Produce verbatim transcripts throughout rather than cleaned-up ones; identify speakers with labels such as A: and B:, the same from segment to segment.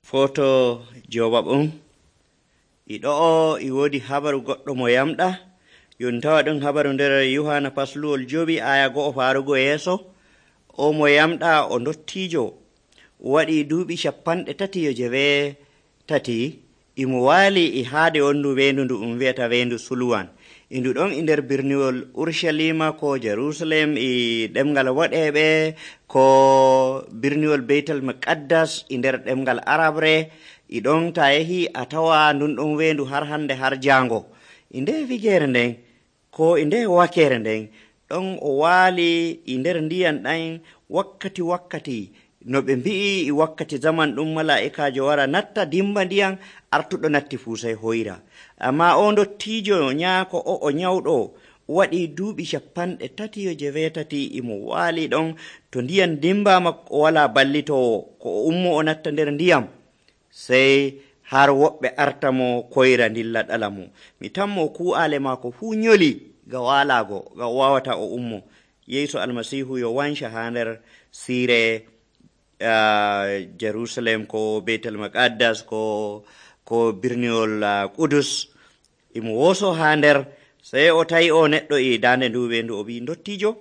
A: Foto jobab'um iɗo'o e wodi habaru goɗɗo mo yamɗa yon tawa ɗum habaru nder Yohana pasluwol jowi aya go'o farugo yeeso. O mo yamɗa o ndottijo waɗi duuɓi capanɗe tati yo jewe tati imo waali e haade wondu wendu ndu um wi'ata wendu Sulwan. E ndu ɗon e nder birniwol Urshalima ko Jerusalem e ɗemgal waɗeɓe ko birniwol Beitel Muqaddas e nder ɗemgal Arabre. E ɗon ta yehi a tawa ndun ɗon wendu har hande har jango. E nde wigere nden ko e nde wakere nden ɗon o waali e nder ndiyam ɗan wakkati wakkati no ɓe mbi'i e wakkati zaman ɗum mala'ikajo wara natta dimba ndiyam artuɗo natti fuu sai hoyra. Amma o ndottijo nyaako o o nyawɗo waɗi duuɓi capanɗe tati yo jewetati imo waali ɗon to ndiyam dimbama o wala ballitowo ko o ummo o natta nder ndiyam sai har woɓɓe arta mo koyra ndilla ɗala mo. Mi tammo ku'ale maako fuu nyoli ga walago ga o wawata o ummo. Yesu almasihu yo wanca ha nder sire uh, Jerusalem ko Beitel Muqaddas ko ko birniwol uh, Kudus imo woso ha nder sai o tawi o neɗɗo e dande ndu wendu o wi ndottijo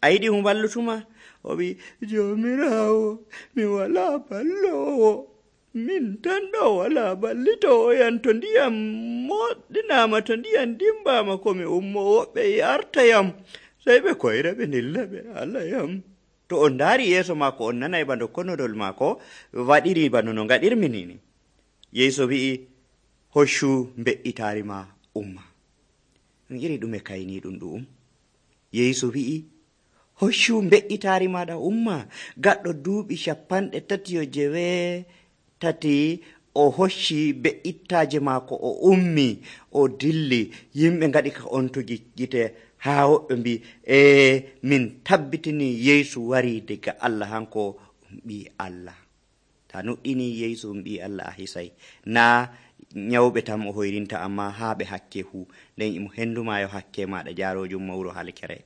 A: a yiɗi mo ballutuma? O wi jomirawo mi wala ballowo, min tan ɗo wala ballitowo yan to ndiyam moɗɗinama to ndiyam dimbama komi ummo woɓɓe e arta yam sai ɓe koyra ɓe ndilla ɓe ala yam. To on daari yeeso maako on nanay bano konodol maako waɗiri bano no gaɗirmi nini. Yeeso wi'i hoccu mbe'itari ma umma. Ɗum iri ɗume kayni ɗum ɗum. Yeeso wi'i hoccu mbe'itari maɗa umma. Gaɗɗo duuɓi capanɗe tati yo jewe tati o hocci be'ittaje maako o ummi o dilli. Yimɓe ngaɗi ka ontugi gite ha woɓɓe mbi e min tabbitini Yeesu wari daga Allah hanko um ɓi Allah. Ta nuɗɗini Yeesu um ɓi Allah a hisay na nyawɓe tam o hoyrinta amma haa ɓe hakke fu nden imo henduma yo hakke maɗa jaarojum mawro halkere.